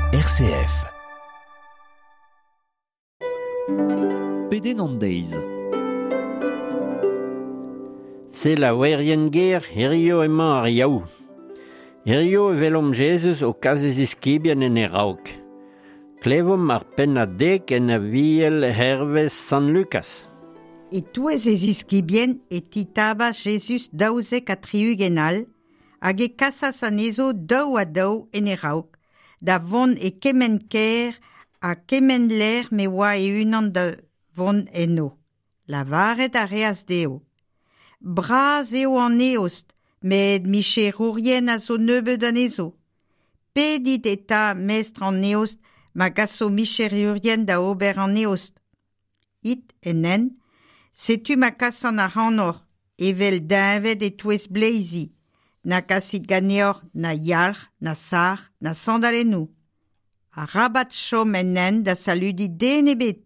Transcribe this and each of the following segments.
RCF. Pedenn an deiz. Selaouerien ger, hirio emañ ar Yaou. Hirio e welomp Jezuz o kas e ziskibien en e raok. Klevomp ar pennad dek en Aviel hervez Sant Lukas. E-touez e ziskibien e titabas Jezuz 72 all, hag e kasas anezho daou ha daou en e raok, da vont e kement kêr ha kement lec'h ma oa e-unan da vont enno. Lavaret a reas dezho: Bras eo an eost, met micherourien a zo nebeut anezho. Pedit eta mestr an eost ma gaso micherourien da ober an eost. It en hent, setu ma kasan ac'hanoc'h evel deñved e-touez bleizi. Na kasit ganeoc'h na yalc'h, na sac'h, na sandalennoù. Arabat chom en hent da saludiñ den ebet.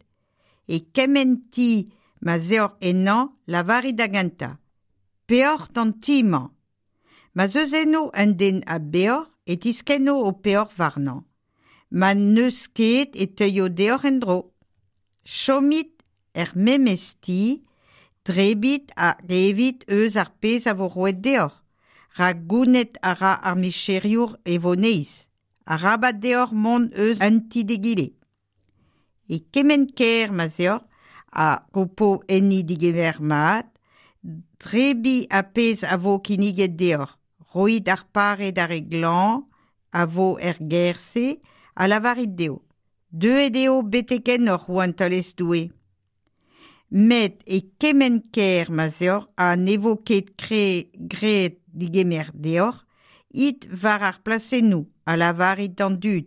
E kement ti ma 'z eoc'h ennañ, lavarit da gentañ: Peoc'h d'an ti-mañ. Ma 'z eus eno un den a beoc'h e tiskenno ho peoc'h warnañ. Ma n'eus ket e teuio deoc'h en-dro. Chomit er memes ti, debrit hag evit eus ar pezh a vo roet deoc'h, rak gounit a ra ar micheriour e voneiz. Arabat deoc'h mont eus un ti d'egile. E kement kêr ma 'z eoc'h ha ho po enni degemer mat, debriñ ar pezh a vo kinniget deoc'h, roit ar pare d'ar re glañv a vo er gêr-se ha lavarit dezho: Deuet eo betek ennoc'h rouantelezh Doue. Met e kement kêr ma 'z eoc'h ha ne vo ket graet degemer deoc'h, it war ar plasennoù ha lavarit d'an dud: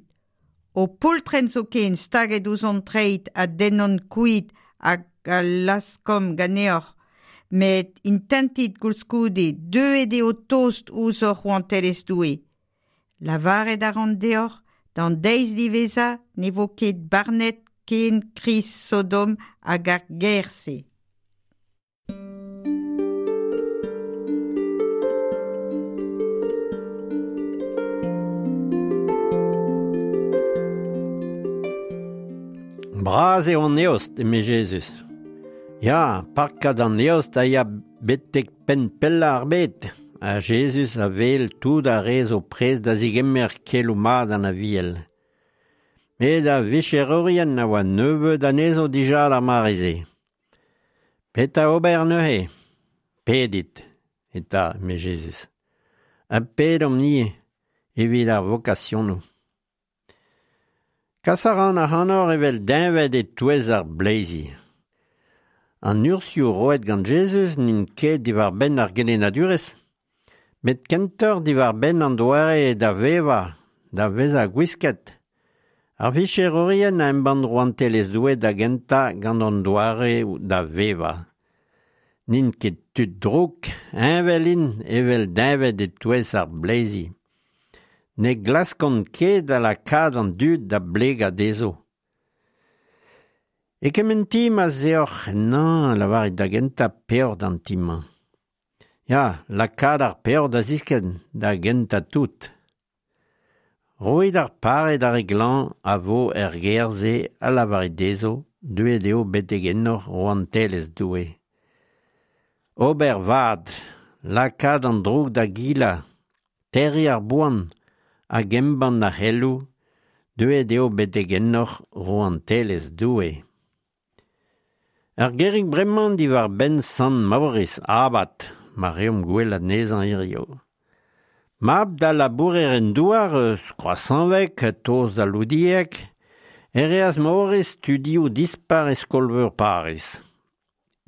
Ho poultrenn zoken staget ouzh hon treid a dennomp kuit hag a laskomp ganeoc'h, met intentit koulskoude deuet eo tost ouzhoc'h rouantelezh Doue. Lavaret a ran deoc'h, d'an deiz diwezhañ ne vo ket barnet ken kriz Sodom hag ar gêr-se. Bras eo an eost, eme Jezuz. Ya, parkad an eost a ya betek penn pellañ ar bed, ha Jezuz a wel tout ar re zo prest da zegemer keloù mat an Aviel. Met ar vicherourien a oa nebeut anezho dija d'ar mare-se. Petra ober neuze? Pedit, eta, eme Jezuz, ha pedomp-ni evit ar vokasionoù. Kas a ran ac'hanoc'h evel deñved e-touez ar bleizi. An urzhioù roet gant Jezuz n'int ket diwar-benn ar gelennadurezh, met kentoc'h diwar-benn an doare da vevañ, da vezañ gwisket. Ar vicherourien a embann rouantelezh Doue da gentañ gant an doare da vevañ. N'int ket tud drouk, heñvel int evel deñved e-touez ar bleizi. Ne glaskont ket da lakaat an dud da blegañ dezho. E kement ti ma 'z eoc'h ennañ, lavarit da gentañ peoc'h d'an ti-mañ. Ya, lakaat ar peoc'h da ziskenn da gentañ tout. Roit ar pare d'ar re glañv a vo er gêr-se ha lavarit dezho deuet eo betek ennoc'h rouantelezh Doue. Ober vad, lakaat an droug da gilañ, terriñ ar boan hag embann ar c'heloù, deuet eo betek ennoc'h rouantelezh Doue. Ur gerig bremañ diwar-benn Sant Maoris abad, ma reomp gwell anezhañ hiziv. Mab da labourer-en-douar eus Kroazhañveg, tost da Loudieg, e reas Maoris studioù dispar e skol-veur Pariz.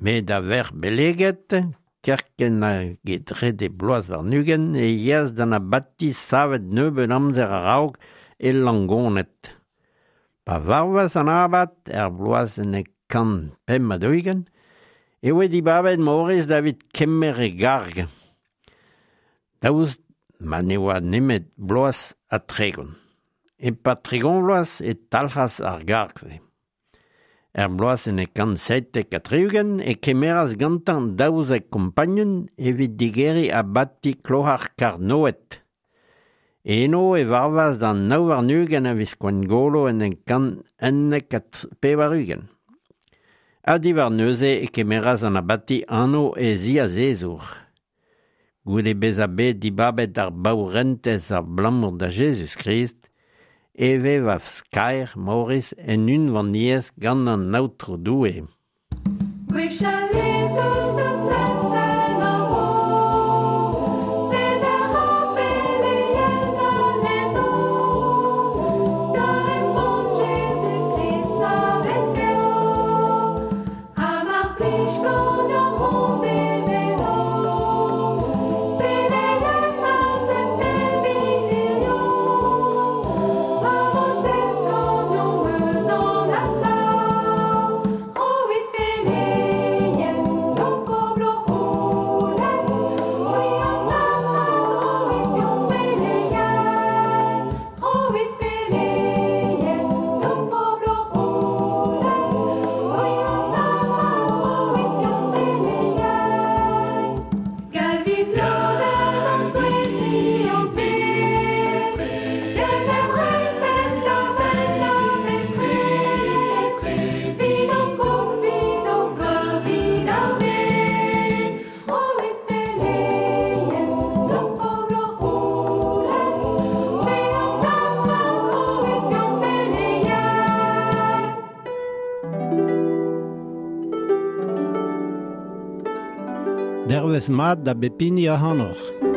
Met da verc'h beleget, kerkent hag e trede bloaz warn-ugent e yeas d'an abati savet nebeut amzer a-raok e Langoned. Pa varvas an abad er bloaz 1145 e voe dibabet Maoris davit kemer e garg, daoust ma ne oa nemet bloaz ha 30. E-pad 30 vloaz e talc'has ar garg-se. Er bloaz 1177 e kemeras gantañ 12 kompagnun evit digeriñ abati Kloar Karnoed. Eno e varvas d'an 29 a viz Gwengolo en 1991. Ha diwar neuze e kemeras an abati anv e ziazezour. Goude bezañ bet dibabet ar baourentez abalamour da Jezuz-Krist, e vevas kaer Maoris en unvaniezh gant an Aotrou Doue. Gwechall ez eus deut sent en hor bro, peder ha beleien anezho, da embann Jezuz-Krist savet beo, ha mar plij ganeoc'h hon devezo, beleien ma sent evit hirio, pa vo test ganeomp eus an adsav, roit beleien d'ho pobl o c'houlenn, c'hwi an abad roit deomp beleien, roit beleien d'ho pobl o c'houlenn, c'hwi an abad roit deomp beleien. Galvit lod en hon touez ni ho ped, d'en em reiñ penn-da-benn ha bepred, 'vit ho pobl, 'vit ho gloar, 'vit ar bed. Roit beleien d'ho pobl o c'houlenn, c'hwi an abad roit deomp beleien. Dervezh mat da bep hini ac'hanoc'h.